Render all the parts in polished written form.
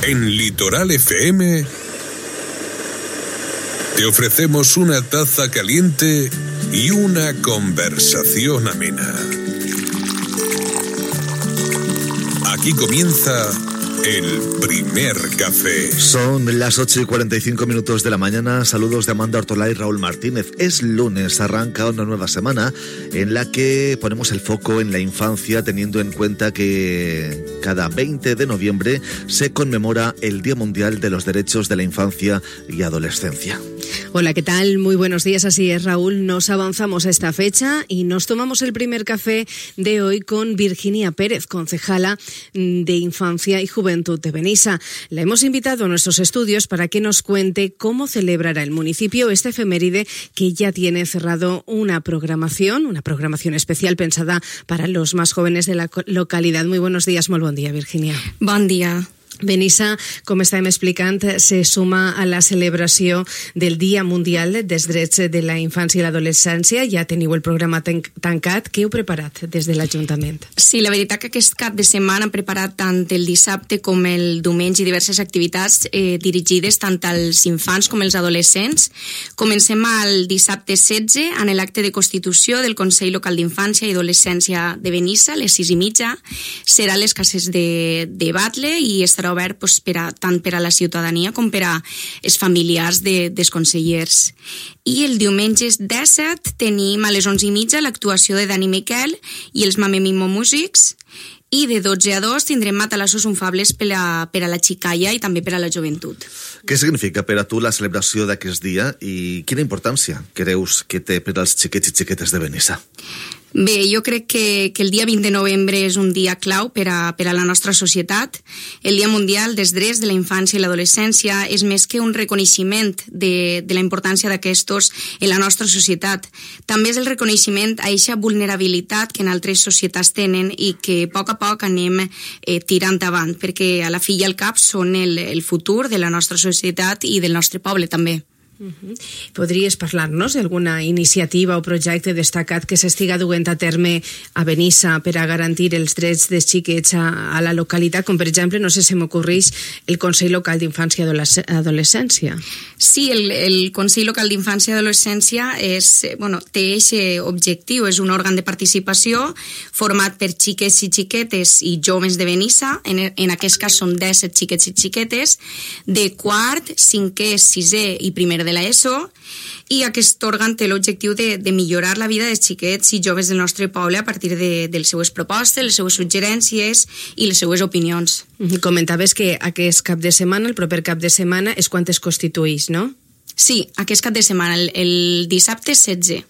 En Litoral FM te ofrecemos una taza caliente y una conversación amena. Aquí comienza el primer café. Son las 8:45 de la mañana. Saludos de Amanda Ortolá y Raúl Martínez. Es lunes, arranca una nueva semana en la que ponemos el foco en la infancia, teniendo en cuenta que cada 20 de noviembre se conmemora el Día Mundial de los Derechos de la Infancia y Adolescencia. Hola, ¿qué tal? Muy buenos días, así es, Raúl. Nos avanzamos a esta fecha y nos tomamos el primer café de hoy con Virginia Pérez, concejala de Infancia y Juventud de Benissa. La hemos invitado a nuestros estudios para que nos cuente cómo celebrará el municipio este efeméride que ya tiene cerrado una programación especial pensada para los más jóvenes de la localidad. Muy buenos días, molt bon dia, Virginia. Bon dia. Benissa, com estàvem explicant, se suma a la celebració del Dia Mundial dels Drets de la Infància i l'Adolescència. Ja teniu el programa tancat. Què heu preparat des de l'Ajuntament? Sí, la veritat que aquest cap de setmana hem preparat tant el dissabte com el diumenge diverses activitats dirigides tant als infants com als adolescents. Comencem el dissabte 16 en l'acte de constitució del Consell Local d'Infància i Adolescència de Benissa, a les 6:30. Serà a les cases de Batle i estarà obert tant per a la ciutadania com per a els familiars dels consellers. I el diumenge 17 tenim a les 11:30 l'actuació de Dani Miquel i els Mame Mimo Músics, i de 12 a 2 tindrem matalassos unfables per a la xicalla i també per a la joventut. Què significa per a tu la celebració d'aquest dia i quina importància creus que té per als xiquets i xiquetes de Benissa? Bé, jo crec que el dia 20 de novembre és un dia clau per a la nostra societat. El Dia Mundial dels Drets de la Infància i l'Adolescència és més que un reconeixement de la importància d'aquestos en la nostra societat. També és el reconeixement a aquesta vulnerabilitat que en altres societats tenen i que a poc anem tirant avant, perquè a la fi i al cap són el futur de la nostra societat i del nostre poble també. Podries parlar-nos d'alguna iniciativa o projecte destacat que s'estiga duent a terme a Benissa per a garantir els drets dels xiquets a la localitat, com per exemple, no sé si m'ocorreix, el Consell Local d'Infància i Adolescència? Sí, el Consell Local d'Infància i Adolescència té aquest objectiu, és un òrgan de participació format per xiques i xiquetes i joves de Benissa, en aquest cas són 17 xiquets i xiquetes, de quart, cinquè, sisè i primer de l'ESO, i aquest òrgan té l'objectiu de millorar la vida dels xiquets i joves del nostre poble a partir de les seues propostes, les seues suggerències i les seues opinions. Comentaves que aquest cap de setmana, el proper cap de setmana, és quan es constituïx, no? Sí, aquest cap de setmana, el dissabte 16.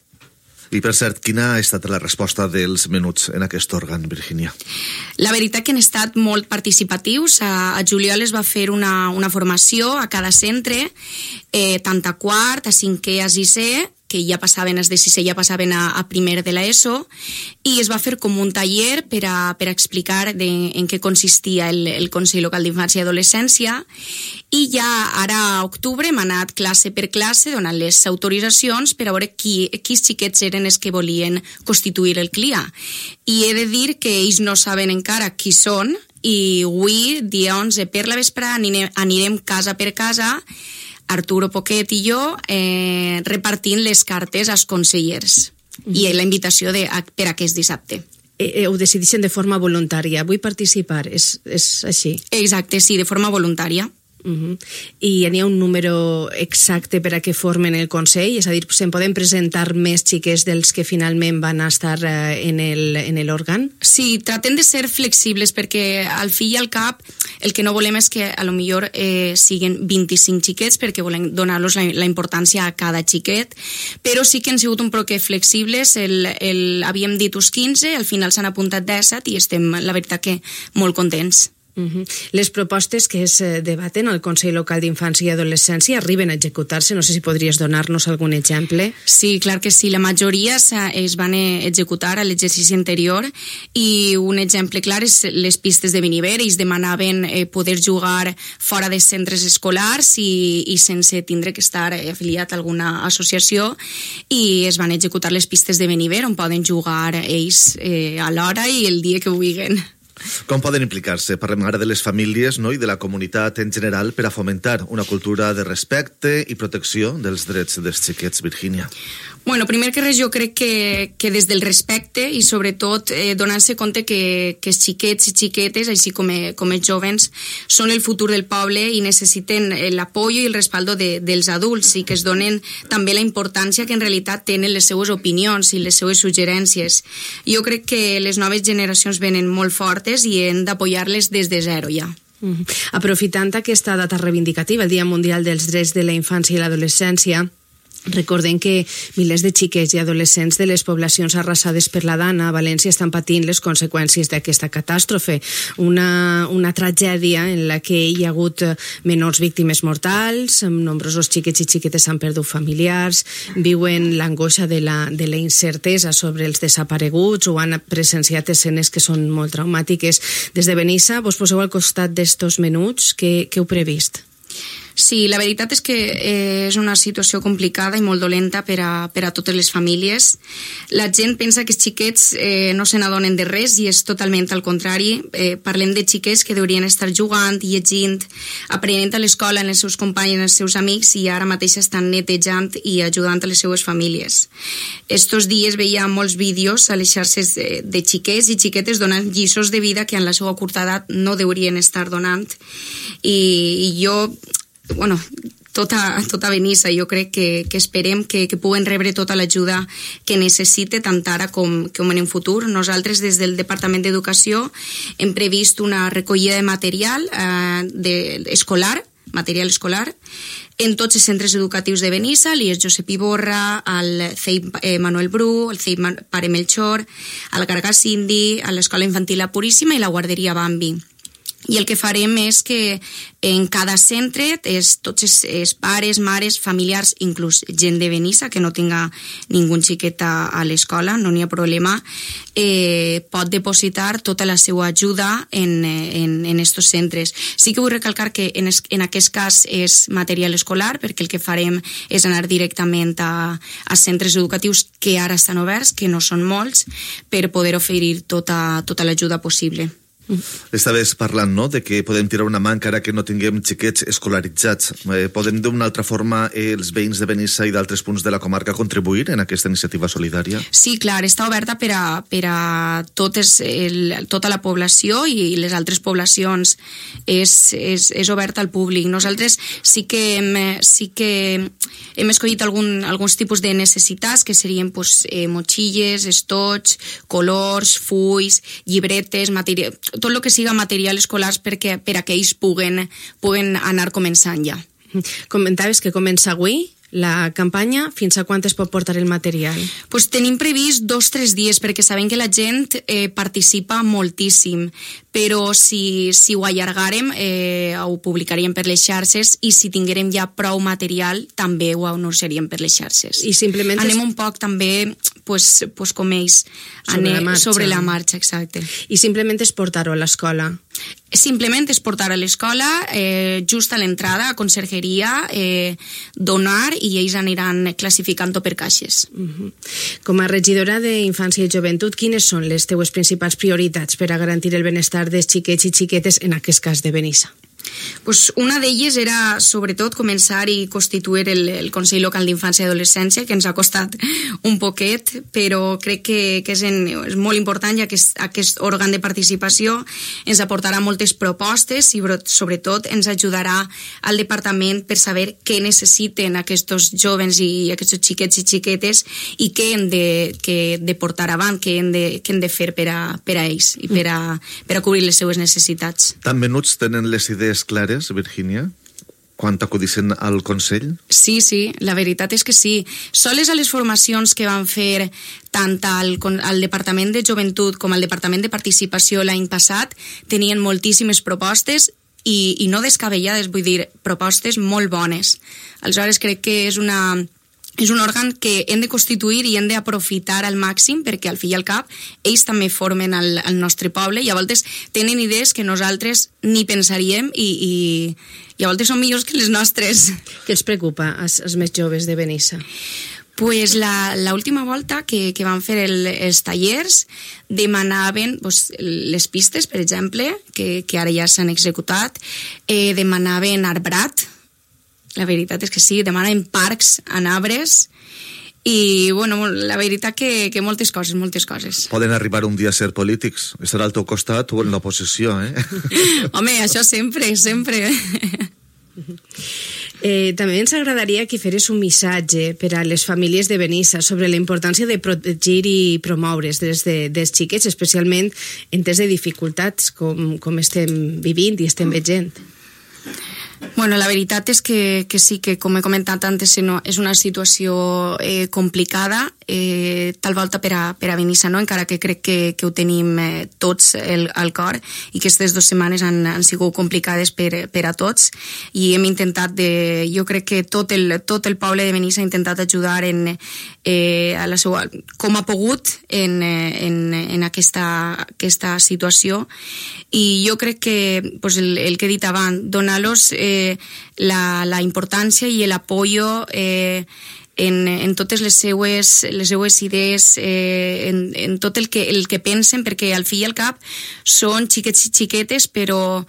I per cert, quina ha estat la resposta dels menuts en aquest òrgan, Virginia? La veritat que han estat molt participatius. A juliol es va fer una formació a cada centre, tant a quart, a cinquè, a sisè, que ja passaven, els de sisè ja passaven a primer de l'ESO, i es va fer com un taller per a explicar en què consistia el Consell Local d'Infància i Adolescència, i ja ara a octubre hem anat classe per classe donant les autoritzacions per a veure quins xiquets eren els que volien constituir el CLIA. I he de dir que ells no saben encara qui són, i avui, dia 11, per la vesprada, anirem casa per casa, Arturo Poquet i jo, repartint les cartes als consellers i la invitació per aquest dissabte. Ho decideixen de forma voluntària. Vull participar, és així? Exacte, sí, de forma voluntària. I n'hi ha un número exacte per a què formen el Consell? És a dir, se'n poden presentar més xiques dels que finalment van estar en l'òrgan? Sí, tratem de ser flexibles perquè al fi i al cap el que no volem és que a lo millor siguin 25 xiquets perquè volem donar-los la importància a cada xiquet, però sí que han sigut un poc flexibles, havíem dit uns 15, al final s'han apuntat 17 i estem, la veritat, que molt contents. Les propostes que es debaten al Consell Local d'Infància i Adolescència arriben a executar-se? No sé si podries donar-nos algun exemple. Sí, clar que sí. La majoria es van executar a l'exercici anterior i un exemple clar és les pistes de Beniver. Ells demanaven poder jugar fora de centres escolars i sense tindre que estar afiliat a alguna associació, i es van executar les pistes de Beniver on poden jugar ells a l'hora i el dia que vulguin. Com poden implicar-se? Parlem ara de les famílies, no?, i de la comunitat en general per a fomentar una cultura de respecte i protecció dels drets dels xiquets, Virgínia. Bueno, primer que res, jo crec que des del respecte i sobretot donant-se compte que els xiquets i xiquetes, així com els jovens, són el futur del poble i necessiten l'apoyo i el respaldo dels adults i que es donen també la importància que en realitat tenen les seues opinions i les seues suggerències. Jo crec que les noves generacions venen molt fortes i hem d'apoyar-les des de zero ja. Aprofitant aquesta data reivindicativa, el Dia Mundial dels Drets de la Infància i l'Adolescència, recordem que milers de xiquets i adolescents de les poblacions arrasades per la Dana a València estan patint les conseqüències d'aquesta catàstrofe. Una tragèdia en la que hi ha hagut menors víctimes mortals, nombrosos xiquets i xiquetes han perdut familiars, viuen l'angoixa de la incertesa sobre els desapareguts o han presenciat escenes que són molt traumàtiques. Des de Benissa, vos poseu al costat d'estos menuts, què heu previst? Sí, la veritat és que és una situació complicada i molt dolenta per a totes les famílies. La gent pensa que els xiquets no se n'adonen de res i és totalment al contrari. Parlem de xiquets que deurien estar jugant, llegint, aprenent a l'escola amb els seus companys i els seus amics i ara mateix estan netejant i ajudant a les seues famílies. Estos dies veia molts vídeos a les xarxes de xiquets i xiquetes donant lliçons de vida que en la seva curta edat no deurien estar donant. I jo... Bueno, tota Benissa, jo crec que esperem que puguen rebre tota l'ajuda que necessite tant ara com en un futur. Nosaltres des del Departament d'Educació hem previst una recollida de material material escolar en tots els centres educatius de Benissa, l'IES Josep Iborra, el CEIP Manuel Bru, el CEIP Pare Melchor, el Gargàs Indi, l'Escola Infantil La Puríssima i la Guarderia Bambi. I el que farem és que en cada centre tots els pares, mares, familiars, inclús gent de Benissa que no tinga ningú xiquet a l'escola, no n'hi ha problema, pot depositar tota la seva ajuda en estos centres. Sí que vull recalcar que en aquest cas és material escolar, perquè el que farem és anar directament a centres educatius que ara estan oberts, que no són molts, per poder oferir tota l'ajuda possible. Estaves parlant, no?, de que podem tirar una mà encara que no tinguem xiquets escolaritzats. Podem d'una altra forma els veïns de Benissa i d'altres punts de la comarca contribuir en aquesta iniciativa solidària? Sí, clar, està oberta per a tota la població i les altres poblacions. És oberta al públic. Nosaltres sí que hem escollit alguns tipus de necessitats que serien motxilles, estoig, colors, fulls, llibretes, tot el que siga material escolars per a que ells puguen anar començant ja. Comentaves que comença avui la campanya. Fins a quan es pot portar el material? Pues tenim previst 2-3 dies perquè sabem que la gent participa moltíssim, però si ho allargarem ho publicaríem per les xarxes i si tinguérem ja prou material també ho anunciaríem per les xarxes. I simplement anem un poc també com ells sobre la marxa, exacte. I simplement és portar-ho a l'escola? Simplement és portar a l'escola, just a l'entrada, a consergeria, donar i ells aniran classificant-ho per caixes. Com a regidora d'Infància i Joventut, quines són les teues principals prioritats per a garantir el benestar dels xiquets i xiquetes, en aquest cas de Benissa? Pues una d'elles era, sobretot, començar i constituir el Consell Local d'Infància i Adolescència, que ens ha costat un poquet, però crec que és molt important, ja que aquest òrgan de participació ens aportarà moltes propostes i, sobretot, ens ajudarà al departament per saber què necessiten aquests jovens i aquests xiquets i xiquetes i què hem de portar avant, què hem de fer per a ells i per a cobrir les seues necessitats. Tan menuts tenen les idees clares, Virgínia, quan acudissin al Consell? Sí, la veritat és que sí. Soles a les formacions que van fer tant al Departament de Joventut com al Departament de Participació l'any passat tenien moltíssimes propostes i no descabellades, vull dir, propostes molt bones. Aleshores crec que és un òrgan que hem de constituir i hem d'aprofitar al màxim perquè al fi i al cap ells també formen el nostre poble i a voltes tenen idees que nosaltres ni pensaríem i a voltes són millors que les nostres. Què els preocupa als més joves de Benissa? Pues la última volta que van fer els tallers demanaven les pistes, per exemple, que ara ja s'han executat, demanaven arbrat, la veritat és que sí, demanen parcs en arbres, i bueno, la veritat que moltes coses. Poden arribar un dia a ser polítics, estar al teu costat o en l'oposició, Home, això sempre. També ens agradaria que feres un missatge per a les famílies de Benissa sobre la importància de protegir i promoure els drets dels xiquets, especialment en temps de dificultats com estem vivint i estem veient. Bueno, la veritat és que sí, que com he comentat antes, és una situació complicada, tal volta per a Benissa, no? Encara que crec que ho tenim tots al cor, i que aquestes 2 setmanes han sigut complicades per a tots, i hem intentat, jo crec que tot el poble de Benissa ha intentat ajudar a la seva, com ha pogut en aquesta situació, i jo crec que el que he dit abans, donar-los la importància i l'apoyo en totes les seues idees, en tot el que pensen, perquè al fi i al cap són xiquets i xiquetes, però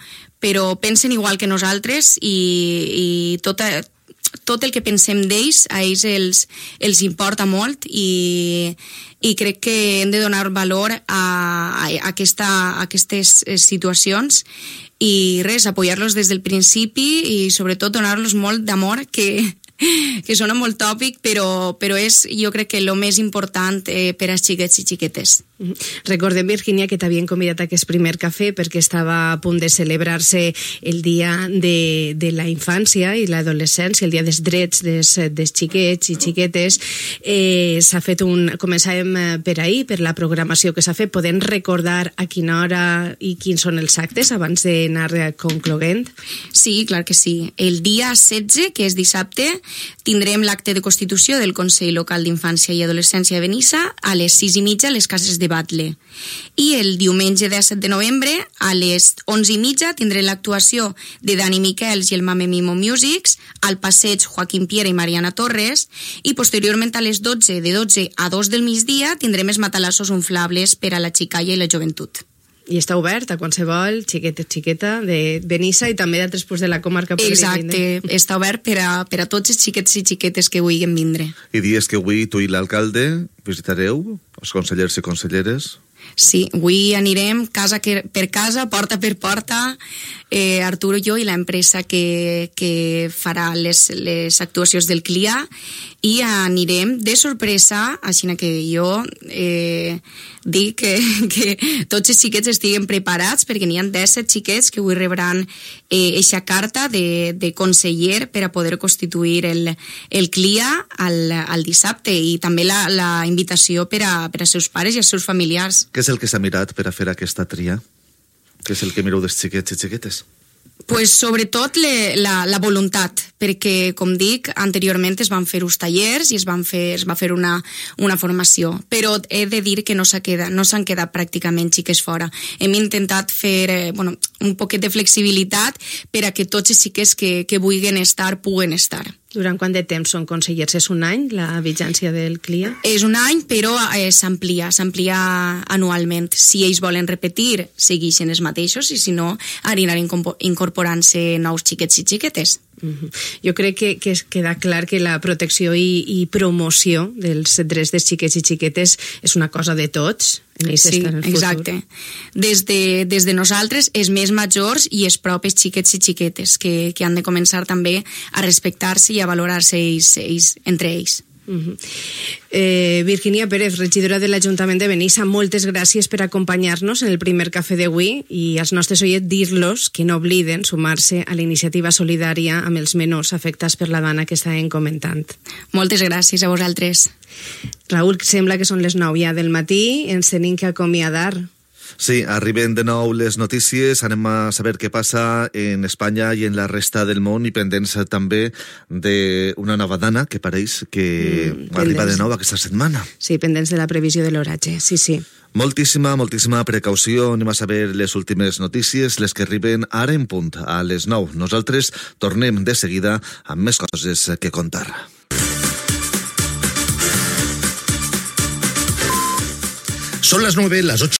pensen igual que nosaltres, i tot el que pensem d'ells, a ells els importa molt, i crec que hem de donar valor a aquestes situacions, i res, apoyar-los des del principi, i sobretot donar-los molt d'amor, que sona molt tòpic, però és, jo crec que el més important per als xiquets i xiquetes. Recordem, Virginia, que t'havien convidat a aquest primer cafè perquè estava a punt de celebrar-se el dia de la infància i l'adolescència, el dia dels drets dels xiquets i xiquetes. S'ha fet començàvem per ahir, per la programació que s'ha fet. Podem recordar a quina hora i quins són els actes abans d'anar concloent? Sí, clar que sí. El dia 16, que és dissabte, tindrem l'acte de constitució del Consell Local d'Infància i Adolescència de Benissa a les 6:30 a les cases de Batle. I el diumenge 17 de novembre a les 11:30 tindrem l'actuació de Dani Miquels i el Mame Mimo Musics al passeig Joaquim Piera i Mariana Torres, i posteriorment a les 12, de 12 a 2 del migdia, tindrem els matalassos inflables per a la xicalla i la joventut. I està obert a qualsevol xiqueta de Benissa i també d'altres punts de la comarca. Exacte, està obert per a tots els xiquets i xiquetes que vulguin vindre. I dies que avui tu i l'alcalde visitareu els consellers i conselleres? Sí, avui anirem casa per casa, porta per porta, Arturo, jo i l'empresa que farà les actuacions del CLIA, i anirem de sorpresa, així que jo dic que tots els xiquets estiguen preparats, perquè n'hi ha 17 xiquets que avui rebran eixa carta de conseller per a poder constituir el CLIA al dissabte, i també la invitació per a seus pares i als seus familiars. Què és el que s'ha mirat per a fer aquesta tria? Què és el que mireu dels xiquets i xiquetes? Pues sobretot la voluntat, perquè, com dic, anteriorment es van fer uns tallers i es va fer una formació, però he de dir que no s'han quedat pràcticament xiques fora. Hem intentat fer un poquet de flexibilitat per a que tots els xiques que vulguin estar, puguen estar. Durant quant de temps són consellers? És un any, la vigència del CLIA? És un any, però s'amplia anualment. Si ells volen repetir, segueixen els mateixos, i si no, aniran incorporant-se nous xiquets i xiquetes. Jo crec que queda clar que la protecció i promoció dels drets dels xiquets i xiquetes és una cosa de tots. Sí, exacte. Des de nosaltres, els més majors i els propis xiquets i xiquetes, que han de començar també a respectar-se i a valorar-se ells entre ells. Virginia Pérez, regidora de l'Ajuntament de Benissa, moltes gràcies per acompanyar-nos en el primer cafè d'avui, i als nostres oients dir-los que no obliden sumar-se a la iniciativa solidària amb els menors afectats per la dana que estàvem comentant. Moltes gràcies a vosaltres. Raül, sembla que són les 9 ja del matí, ens tenim que acomiadar. Sí, arriben de nou les notícies, anem a saber què passa en Espanya i en la resta del món, i pendents també d'una nova dana que pareix que arriba de nou aquesta setmana. Sí, pendents de la previsió de l'oratge, sí. Moltíssima precaució, anem a saber les últimes notícies, les que arriben ara en punt, a les 9. Nosaltres tornem de seguida amb més coses que contar. Son las 9, las 8.